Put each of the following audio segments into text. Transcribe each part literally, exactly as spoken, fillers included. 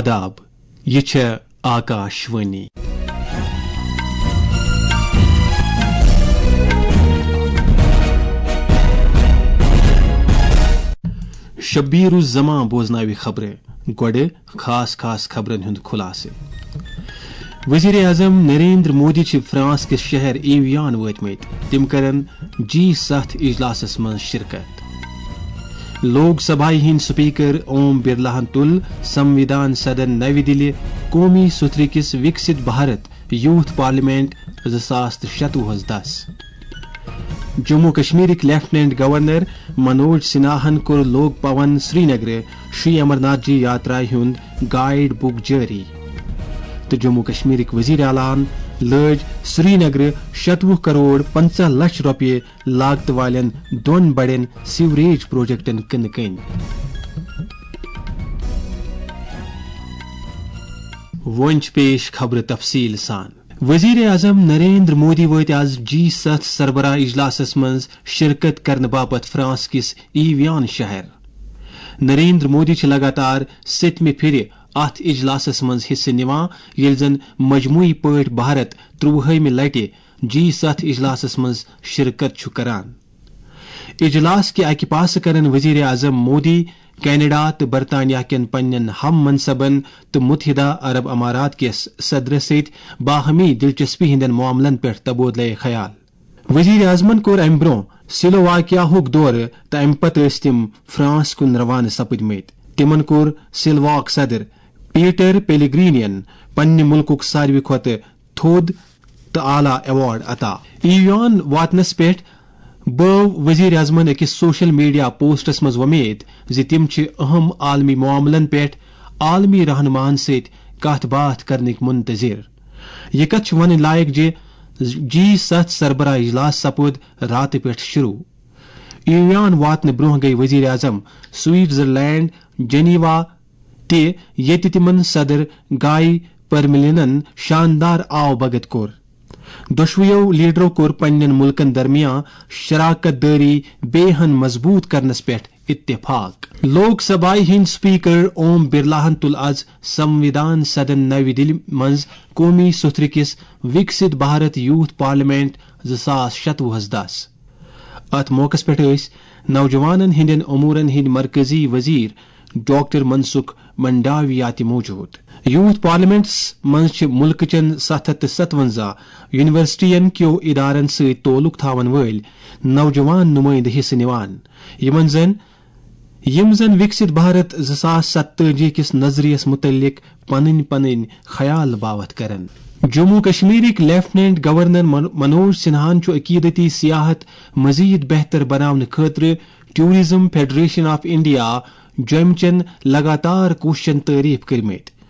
آداب، یہِ چھےٚ آکاش وانی۔ شبیر الزمان بوزناوِ خبرٕ۔ گۄڈٕ خاص خاص خبرن ہُنٛد خلاصہٕ۔ وزیر اعظم نریندر مودی چھِ فرانس کِس شہر ایویان وٲتمٕتۍ۔ تِم کرن جی ستھ اجلاسس منٛز شرکت۔ لوک سبھایہ ہٕنٛدۍ سپیکر اوم برلاہن تُل سموِدھان سدن نَوِ دِلہِ قومی سُتھرِ کِس وِکسِت بھارت یوتھ پارلیمنٹ زٕ ساس تہٕ شَتوُہس دس۔ جموں کشمیرٕکۍ لیفٹیننٹ گورنر منوج سنہاہن کوٚر لوک بھون سرینگرٕ شری امرناتھ جی یاترا ہُنٛد گائیڈ بُک جٲری۔ تہٕ جموں کشمیرٕکۍ وزیر اعلیٰ ہن لٲج سرینگرٕ شَتوُہ کروڑ پنٛژاہ لچھ رۄپیہِ لاگتہٕ والٮ۪ن دۄن بڑٮ۪ن سیوریج پروجیکٹن کٕنہٕ کٔنۍ۔ وۄنۍ چھِ پیش خبرٕ تفصیٖل سان۔ وزیر اعظم نریندر مودی وٲتۍ آز جی ستھ سربراہ اجلاسس منٛز شرکت کرنہٕ باپتھ فرانس کِس ایویان شہر۔ نریندر مودی چھِ لگاتار سٔتمہِ پھِرِ اتھ اجلاسس منٛز حصہٕ نِوان، ییٚلہِ زن مجموعی پٲٹھۍ بھارت ترٛۆوُہمہِ لٹہِ جی ستھ اجلاسس منٛز شرکت چھُ کران۔ اجلاس کہِ اکہِ پاسہٕ کرن وزیر اعظم مودی کینیڈا تہٕ برطانیہ کٮ۪ن پننٮ۪ن ہم منصبن تہٕ متحدہ عرب امارات کِس صدرس سۭتۍ باہمی دلچسپی ہٕنٛدٮ۪ن معاملن پٮ۪ٹھ تبادلہ خیال۔ وزیر اعظمن کوٚر امہِ برٛونٛہہ سلوواکیاہُک دورٕ تہٕ امہِ پتہٕ ٲسۍ تِم فرانس کُن روانہٕ سپٕدمٕتۍ۔ تِمن کوٚر سلواک صدر پیٹر پیلیگرینین پننہِ مُلکُک ساروی کھۄتہٕ تھوٚد تہٕ اعلیٰ ایوارڈ عطا۔ ایوان واتنس پٮ۪ٹھ بٲو وزیر اعظمن أکِس سوشل میڈیا پوسٹس منٛز وۄمید زِ تِم چھِ اہم عالمی معاملن پٮ۪ٹھ عالمی رہنماہن سۭتۍ کتھ باتھ کرنٕکۍ منتظر۔ یہِ کتھ چھِ ونٕنۍ لایق زِ جی ستھ سربراہ اجلاس سپُد راتہٕ پٮ۪ٹھ شروع۔ ایوان واتنہٕ برٛونٛہہ گٔیہِ وزیر اعظم سوئٹزرلینڈ، جنیوا تہِ، ییٚتہِ تِمن صدر گائی پرملینن شاندار آو بھگت کوٚر۔ دۄشوٕیو لیڈرو کوٚر پننٮ۪ن مُلکن درمیان شراکت دٲری بیٚیہِ ہن مضبوٗط کرنس پٮ۪ٹھ اتفاق۔ لوک سبھایہ ہٕنٛدۍ سپیکر اوم برلاہن تُل از سموِدھان سدن نَوِ دِلہِ منٛز قومی سُتھرِ کِس وِکسِت بھارت یوتھ پارلیمنٹ زٕ ساس شَتوُہس دس۔ اتھ موقعس پٮ۪ٹھ ٲسۍ نوجوانن ہٕنٛدٮ۪ن امورن ہٕنٛدۍ مرکزی وزیر ڈاکٹر منسکھ منڈاویا تہِ موجود۔ یوتھ پارلیمنٹس منٛز چھِ مُلکہٕ چٮ۪ن ستھ ہتھ تہٕ ستونزہ یونیورسٹین کیو ادارن سۭتۍ تعلق تھاون وٲلۍ نوجوان نمائندٕ حصہٕ نِوان، یِمن زن، یِم زن وِکسِت بھارت زٕ ساس ستتٲجی کِس نظریس متعلق پنٕنۍ پنٕنۍ خیال باوتھ کرن۔ جموں کشمیرٕکۍ لیفٹیننٹ گورنر من-، منوج سنہاہن چھُ عقیدتی سیاحت مزید بہتر بناونہٕ خٲطرٕ ٹورازم فیڈریشن آف انڈیا، جوٚمہِ چٮ۪ن لگاتار کوٗششن تعریف کٔرمٕتۍ۔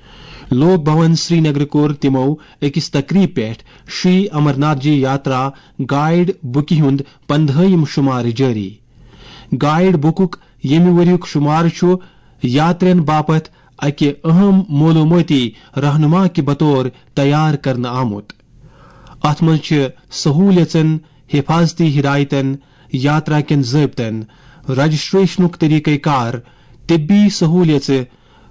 لوک بھون سرینگر کوٚر تِمو أکِس تقریب پٮ۪ٹھ شری امرناتھ جی یاترا گائیڈ بُکہِ ہُنٛد پندہٲیِم شمارٕ جٲری۔ گائیڈ بُکُک ییٚمہِ ؤریُک شمارٕ چھُ یاترین باپتھ اکہِ اہم معلومٲتی رہنما کہِ بطور تیار کرنہٕ آمُت۔ اتھ منٛز چھِ سہولیژن، حفاظتی ہدایتن، یاترا کٮ۪ن ضٲبطن، رجسٹریشنُک طریقہ کار، طبی سہولیژٕ،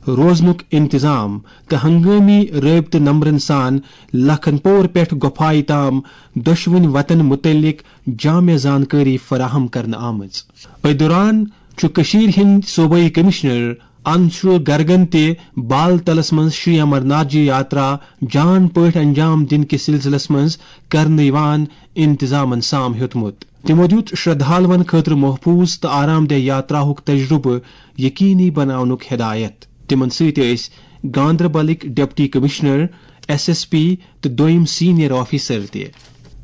روزنُک انتظام تہٕ ہنگٲمی رٲبطہٕ نمبرن سان لکھن پور پٮ۪ٹھ گۄپھایہِ تام دۄشوٕنۍ وتن متعلق جامع زانکٲری فراہم کرنہٕ آمٕژ۔ أتھۍ دوران چھُ کٔشیٖرِ ہٕنٛدۍ صوبٲئی کمشنر انشول گرگن تہِ بال تلس منٛز شری امرناتھ جی یاترا جان پٲٹھۍ انجام دِنہٕ کِس سلسلس منٛز کرنہٕ یِوان انتظامن سام ہیوٚتمُت۔ تِمو دیُت شردھالوَن خٲطرٕ محفوظ تہٕ آرام دہ یاتراہُک تجربہٕ یقینی بناونُک ہدایت۔ تِمن سۭتۍ ٲسۍ گاندربلٕکۍ deputy commissioner, S S P تہٕ دوٚیم سینئر آفیسر تہِ۔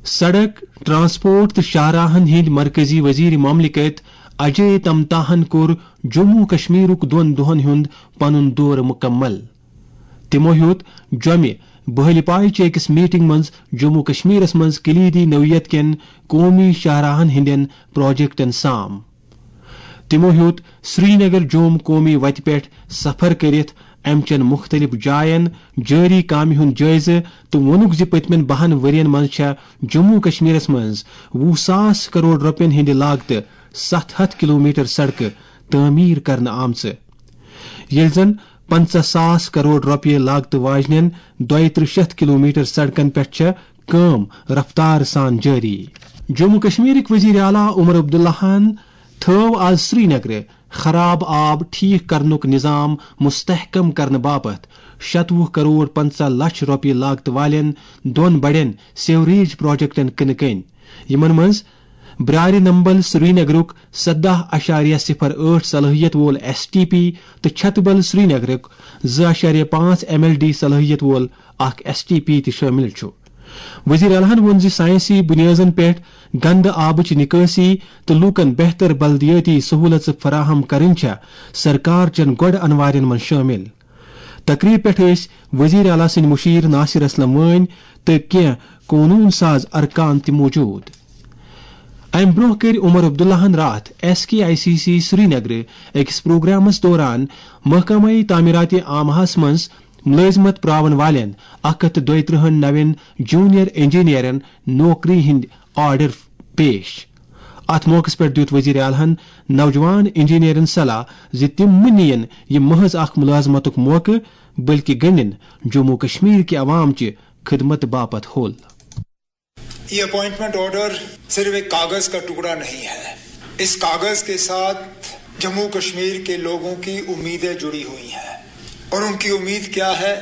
سڑک، ٹرانسپورٹ تہٕ شاہراہن ہٕنٛدۍ مرکزی وزیر مملکت اجے تمتاہن کوٚر جموں کشمیرُک دۄن دۄہن ہُنٛد پنُن دورٕ مکمل۔ تِمو ہیوٚت جوٚمہِ بہلہِ پایہِ چہِ أکِس میٹنگ منٛز جموں کشمیرس منٛز کلیدی نوعیت کٮ۪ن قومی شاہراہن ہٕنٛدٮ۪ن پروجیکٹن سام۔ تِمو ہیوٚت سرینگر جوم قومی وتہِ پٮ۪ٹھ سفر کٔرِتھ امہِ چٮ۪ن مُختٔلِف جاین جٲری کامہِ ہُنٛد جٲیزٕ تہٕ ووٚنُکھ زِ پٔتمٮ۪ن بَہَن ؤرین منٛز چھےٚ جموں کشمیرس منٛز وُہ ساس کرور رۄپین ہٕنٛدِ لاگتہٕ ستھ ہتھ کلومیٹر سڑکہٕ تعمیٖر کرنہٕ آمژٕ، ییٚلہِ زن پنٛژاہ ساس کرور رۄپیہِ لاگتہٕ واجنٮ۪ن دۄیہِ ترٕٛہ شیٚتھ کلومیٹر سڑکن پٮ۪ٹھ چھےٚ کٲم رفتار سان جٲری۔ جموں کشمیرٕکۍ وزیر اعلیٰ عمر عبداللہَن تھٲو آز سرینگرٕ خراب آب ٹھیک کرنُک نظام مستحکم کرنہٕ باپتھ شتوُہ کرور پنٛژاہ لچھ رۄپیہِ لاگتہٕ والٮ۪ن دۄن بڑٮ۪ن سیوریج پروجیکٹن کٕنہٕ کٔنۍ، یِمن منٛز برارِ نمبل سرینگرُک سداہ اشاریہ صفر ٲٹھ صلٲحیت وول ایس ٹی پی تہٕ چھتبل سرینگرُک زٕ اشاریہ پانٛژھ ایم ایل ڈی صلٲحیت وول اکھ ایس ٹی پی تہِ شٲمِل چھُ۔ وزیر اعلیٰ ہَن ووٚن زِ سائنسی بُنیٲدَن پٮ۪ٹھ گندٕ آبٕچ نکٲسی تہٕ لوٗکَن بہتر بلدیٲتی سہوٗلژٕ فراہم کرٕنۍ چھےٚ سرکار چٮ۪ن گۄڈٕ انوارٮ۪ن منٛز شٲمِل۔ تقریب پٮ۪ٹھ ٲسۍ وزیر اعلیٰ سٕنٛدۍ مُشیر ناصر اسلم وٲنۍ تہٕ کینٛہہ قونوٗن ساز ارکان تہِ موجود۔ امہِ برٛونٛہہ کٔرۍ عمر عبداللہَن راتھ S K I C C سرینگرٕ أکِس پروگرامس دوران محکمہ تعمیرات عامہس منٛز ملٲزمت پراون والٮ۪ن اکھ ہتھ تہٕ دۄیہِ ترٕٛہن نوٮ۪ن جونیئر انجینئرن نوکری ہٕنٛدۍ آرڈر پیش۔ اتھ موقعس پٮ۪ٹھ دیُت وزیر اعلیٰ ہَن نوجوان انجینئرن صلاح زِ تِم مہٕ نِیِن یہِ محض اکھ ملازمتُک موقعہٕ، بلکہِ گٔنٛڈِن جموں کشمیر کہِ عوام چہِ خدمت باپتھ حل۔ یہ اپوائنٹمنٹ آرڈر صرف ایک کاغذ کا ٹکڑا نہیں ہے۔ اس کاغذ کے ساتھ جموں کشمیر کے لوگوں کی امیدیں جڑی ہوئی ہیں، اور ان کی امید کیا ہے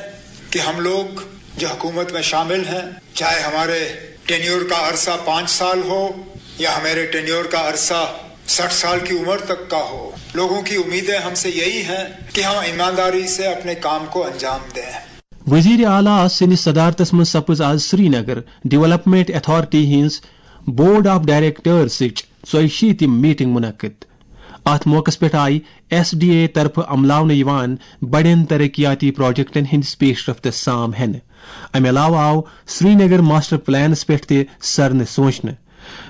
کہ ہم لوگ جو حکومت میں شامل ہیں، چاہے ہمارے ٹینیور کا عرصہ پانچ سال ہو یا ہمارے ٹینیور کا عرصہ سٹھ سال کی عمر تک کا ہو، لوگوں کی امیدیں ہم سے یہی ہیں کہ ہم ایمانداری سے اپنے کام کو انجام دیں۔ وزیر اعلیٰ سٕنٛدِس صدارتس منٛز سپٕز آز سرینگر ڈیولپمنٹ اتھارٹی ہٕنٛز بورڈ آف ڈائریکٹرزٕچ ژۄیہِ شیٖتِم میٹنگ منعقد۔ اتھ موقعس پٮ۪ٹھ آیہِ ایس ڈی اے طرفہٕ عملاونہٕ یِوان بڑٮ۪ن ترقیاتی پروجیکٹن ہٕنٛدِس پیش رفتس سام ہٮ۪نہٕ۔ امہِ علاوٕ آو سرینگر ماسٹر پلانس پٮ۪ٹھ تہِ سرنہٕ سونچنہٕ۔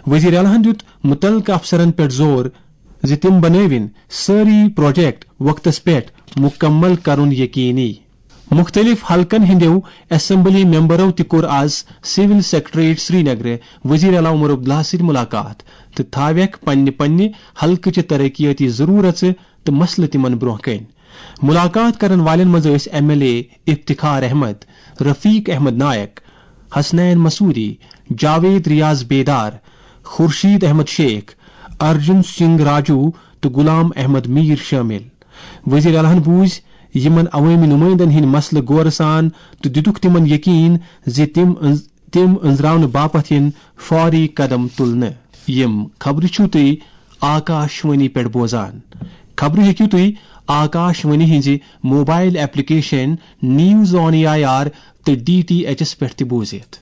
وزیر اعلیٰ ہَن دیُت مُتعلقہٕ افسرن پٮ۪ٹھ زور زِ تِم بنٲوِن سٲری پروجیکٹ وقتس پٮ۪ٹھ مُکمل کرُن یقینی۔ مُختٔلِف حلقن ہٕنٛدٮ۪و اسمبلی ممبرو تہِ کوٚر آز سول سیکرٹریٹ سرینگرٕ وزیر اعلیٰ عمر عبداللہ سۭتۍ مُلاقات تہٕ تھاوٮ۪کھ پننہِ پننہِ حلقہٕ چہِ ترقیٲتی ضروٗرژٕ تہٕ مسلہٕ تِمن برٛونٛہہ کنہِ۔ مُلاقات کرن والٮ۪ن منٛز ٲسۍ M L A Iftikhar Ahmad, Rafiq Ahmad Naik, Hasnain Masoodi, Javid Riyaz Bedar, Khurshid Ahmad Sheikh, Arjun Singh Raju تہٕ غلام احمد میر شٲمِل۔ وزیر اعلیٰ ہَن بوٗزۍ یِمن عوٲمی نُمٲیندن ہٕنٛدۍ مسلہٕ غورٕ سان تہٕ دِتُکھ تِمن یقین زِ تِم أنٛز-، تِم أنٛزراونہٕ باپتھ یِن فوری قدم تُلنہٕ۔ یِم خبرٕ چھِو تُہۍ آکاش وانی پٮ۪ٹھ بوزان۔ خبرٕ ہیٚکِو تُہۍ آکاش وانی ہٕنٛزِ mobile application news on A I R تہٕ ڈی ٹی ایچ ایس پٮ۪ٹھ تہِ بوٗزِتھ۔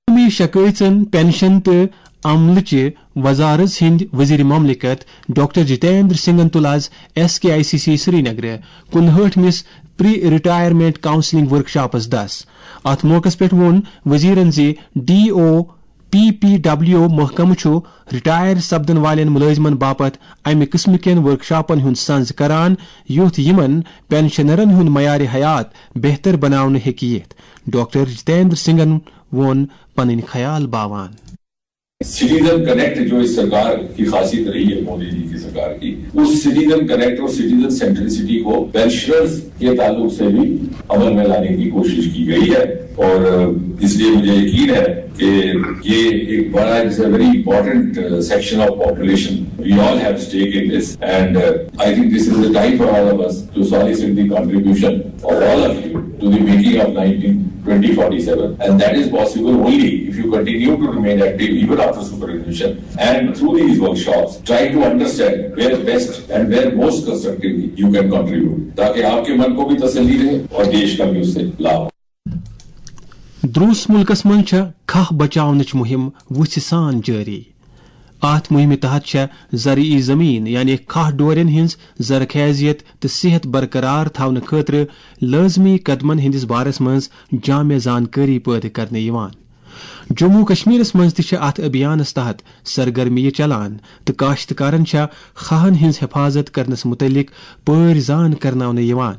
قومی شکٲیژن، پنشن تہٕ عملہٕ چہِ وزارت ہٕنٛدۍ وزیر مملکت ڈاکٹر جتیندر سنگھن تُل آز S K I C C سرینگرٕ کُنہٲٹھمِس پری ریٹائرمنٹ کاؤنسلنگ ورکشاپس دس۔ اتھ موقعس پٮ۪ٹھ ووٚن وزیرن زِ D O P P W محکمہٕ چھُ ریٹائر سپدن والٮ۪ن مُلٲزمن باپتھ امہِ قٕسمہٕ کٮ۪ن ورکشاپن ہُنٛد سنز کران، یُتھ یِمن پنشنرن ہُنٛد معیار حیات بہتر بناونہٕ ہیٚکہِ یِتھ۔ ڈاکٹر جتیندر سنگھن ووٚن پنٕنۍ خیال باوان۔ سٹیزن کنیکٹ جو اس سرکار کی خاصیت رہی ہے، مودی جی کی سرکار کی، اس سٹیزن کنیکٹ اور سٹیزن سینٹریسٹی کو پینشنرز کے تعلق سے بھی عمل میں لانے کی کوشش کی گئی ہے۔ اور اس لیے مجھے یقین ہے کہ یہ ایک بڑا، it's a very important section of population. We all have stake in this, and I think this is the time for all of us to solicit the contribution of all of you to the making of nineteen twenty forty-seven, and that is possible only if you continue to remain active even after superannuation, and through these workshops try to understand where best and where most constructively you can contribute, ताकि आपके मन को भी तसल्ली रहे और देश का भी उससे लाभ हो। درٛوس مُلکس منٛز چھےٚ کھاہ بچاونٕچ مُہِم وُژھِ سان جٲری۔ اتھ مُہِمہِ تحت چھےٚ زرعی زٔمیٖن یعنی کھاہ ڈورٮ۪ن ہٕنٛز زرخیزیت تہٕ صحت برقرار تھاونہٕ خٲطرٕ لٲزمی قدمن ہٕنٛدِس بارس منٛز جامع زانکٲری پٲدٕ کرنہٕ یِوان۔ جموں کشمیرس منٛز تہِ چھِ اتھ ابھیانس تحت سرگرمیہِ چلان تہٕ کاشتکارن چھےٚ کھاہن ہٕنٛز حفاظت کرنس مُتعلق پٲرۍ زان کرناونہٕ یِوان۔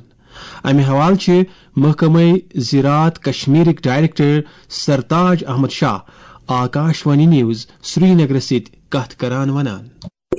امہِ حوالہٕ چھِ محکمہ زراعت کشمیرٕکۍ director Sartaj Ahmad Shah Akashvani news سرینگرس سۭتۍ کتھ کران ونان۔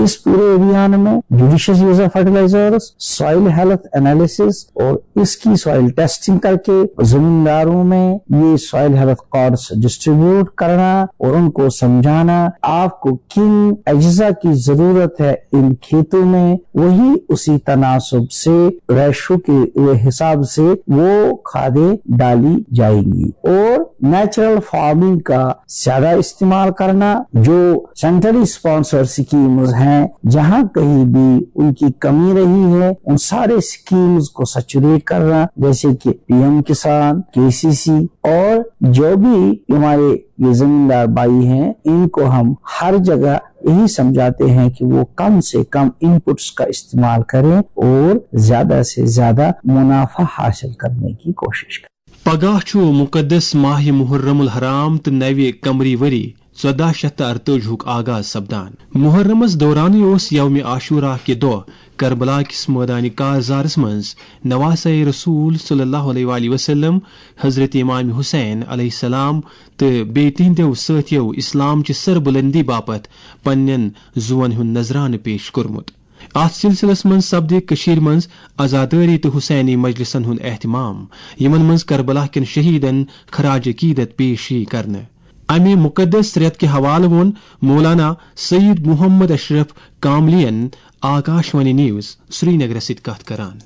इस पूरे अभियान में judicious use of fertilisers, soil health analysis और इसकी सॉइल टेस्टिंग करके जमींदारों में ये सॉइल हेल्थ कार्ड्स डिस्ट्रीब्यूट करना और उनको समझाना, आपको किन अज्जा की जरूरत है इन खेतों में, वही उसी तनासब से रेशो के हिसाब से वो खादें डाली जाएंगी। और नेचुरल फार्मिंग का ज्यादा इस्तेमाल करना, जो सेंट्रली स्पॉन्सर्ड स्कीम्स हैं, जहां कहीं भी उनकी कमी रही है, उन सारे स्कीम्स को सैचुरेट करना, जैसे कि पीएम किसान, केसीसी, और जो भी हमारे ये जमींदार भाई हैं, इनको हम हर जगह यही समझाते हैं कि वो कम से कम इनपुट्स का इस्तेमाल करें और ज्यादा से ज्यादा मुनाफा हासिल करने की कोशिश करें। پگاہ چھُ مُقدس ماہِ محرم الحرام تہٕ نوِ قمری ؤری ژۄداہ شیٚتھ تہٕ ارتٲجی ہُک آغاز سپدان۔ محرمس دورانٕے اوس یومِ عاشورہ کہِ دۄہ کربلا کِس مٲدانِ کارزارس منٛز نواسہ رسول صلی اللہ علیہ وآلہ وسلم، حضرت امام حسین علیہ السلام تہٕ بیٚیہِ تِہنٛدیو سٲتھیو اسلام چہِ سربلندی باپتھ پننٮ۪ن زُوَن ہُنٛد نذرانہٕ پیش کوٚرمُت۔ اتھ سلسلس منٛز سپدِ کٔشیٖرِ منٛز عزادٲری تہٕ حسینی مجلسن ہُنٛد اہتمام، یِمن منٛز کربلا کٮ۪ن شہیدن خراج عقیدت پیش یی کرنہٕ۔ امہِ مُقدس رٮ۪تہٕ کہِ حوالہٕ ووٚن مولانا سید محمد اشرف کاملین آکاشوانی نیوز سرینگرس سۭتۍ کتھ کران۔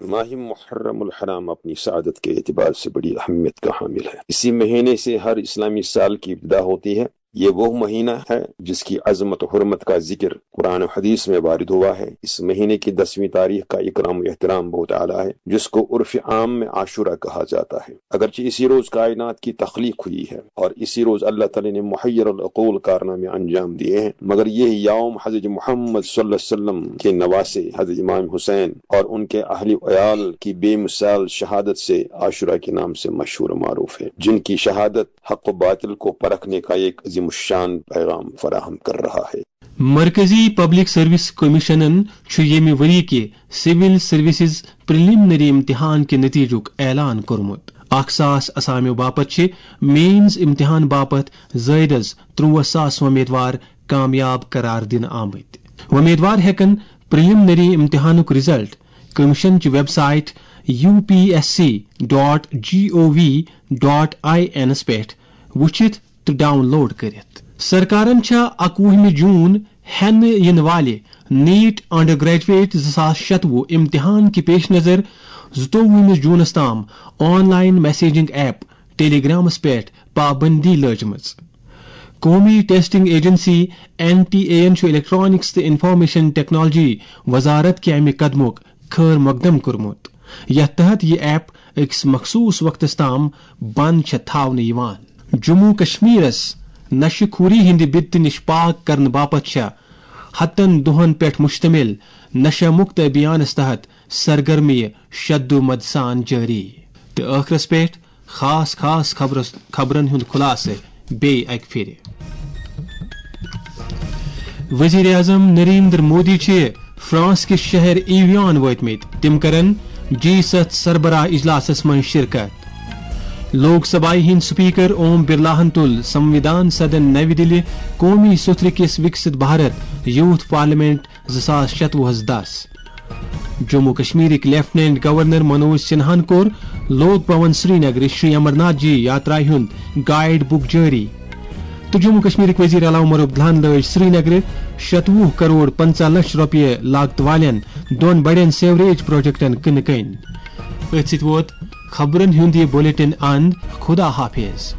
ماہ محرم الحرام اپنی سعادت کے اعتبار سے بڑی اہمیت کا حامل ہے۔ اسی مہینے سے ہر اسلامی سال کی ابتدا ہوتی ہے۔ یہ وہ مہینہ ہے جس کی عظمت و حرمت کا ذکر قرآن و حدیث میں وارد ہوا ہے۔ اس مہینے کی دسویں تاریخ کا اکرام و احترام بہت اعلیٰ ہے، جس کو عرف عام میں عاشورہ کہا جاتا ہے۔ اگرچہ اسی روز کائنات کی تخلیق ہوئی ہے اور اسی روز اللہ تعالیٰ نے محیر العقول کارنامے انجام دیے ہیں، مگر یہ یوم حضرت محمد صلی اللہ علیہ وسلم کے نواسے حضرت امام حسین اور ان کے اہل و عیال کی بے مثال شہادت سے عاشورہ کے نام سے مشہور و معروف ہے، جن کی شہادت حق و باطل کو پرکھنے کا ایک عظیم الشان پیغام فراہم کر رہا ہے۔ مرکزی پبلک سروس کمیشنن چھُ ییٚمہِ ؤری کہِ سول سروسز پریلیمنری امتحان کہِ نتیجُک اعلان کوٚرمُت۔ اکھ ساس اسامیو باپتھ چھِ مینز امتحان باپتھ زٲیدٕ از ترٛووُہ ساس وۄمیدوار کامیاب قرار دِنہٕ آمٕتۍ۔ وۄمیدوار ہٮ۪کن پریلیمنری امتحانُک رزلٹ کمیشن چہِ website U P S C dot G O V dot I N پٮ۪ٹھ وُچھِتھ تہٕ ڈاؤن لوڈ کٔرِتھ۔ سرکارن چھےٚ اَکوُہمہِ جون ہٮ۪نہٕ یِنہٕ والہِ نیٹ انڈر گریجویٹ زٕ ساس شتوُہ امتحان کہِ پیش نظر زٕتووُہمِس جونس تام آن لائن میسیجنگ ایپ ٹیلی گرامس پٮ۪ٹھ پابندی لٲجمٕژ۔ قومی testing agency, N T A, یَن چھُ الیکٹرانکس تہٕ انفارمیشن ٹیکنالوجی وزارت کہِ امہِ قدمُک خیر مقدم کوٚرمُت، یتھ تحت یہِ ایپ أکِس مخصوٗص وقتس تام بند چھےٚ تھاونہٕ یِوان۔ جموں کشمیرس نشہٕ خوری ہٕنٛدِ بدتہٕ نِش پاک کرنہٕ باپتھ چھےٚ ہتن دۄہن پٮ۪ٹھ مشتمل نشہ مکت ابھیانس تحت سرگرمیہِ شد و مد سان جٲری۔ تہٕ ٲخرس پٮ۪ٹھ خاص خاص خبرس، خبرن ہُنٛد خلاصہٕ بیٚیہِ اکہِ پھِرِ۔ وزیر اعظم نریندر مودی چھِ فرانس کِس شہر ایویان وٲتمٕتۍ۔ تِم کرن جی ستھ سربراہ اجلاسس منٛز شرکت۔ لوک سبھایہ ہٕنٛدۍ سپیکر اوم برلاہن تُل سنویدھان سدن نَوِ دِلہِ قومی سُتھرٕ کِس وکست بھارت یوتھ پارلیمنٹ زٕ ساس شتوُہس دس۔ جموں کشمیرٕکۍ لیفٹیننٹ گورنر منوج سنہاہن کوٚر لوک بھون سرینگرٕ شری امرناتھ جی یاترایہِ ہُنٛد گائیڈ بُک جٲری۔ تہٕ جموں کشمیرٕکۍ وزیر اعلیٰ عمر عبداللہن لٲج سرینگرٕ شتوُہ کرور پنژاہ لچھ رۄپیہِ لاگتہٕ والٮ۪ن دۄن بڑٮ۪ن سیوریج پروجیکٹن کٕنہٕ کٔنۍ۔ أتھۍ سۭتۍ ووت خبرن ہُنٛد یہِ بلیٹن اند۔ خدا حافظ۔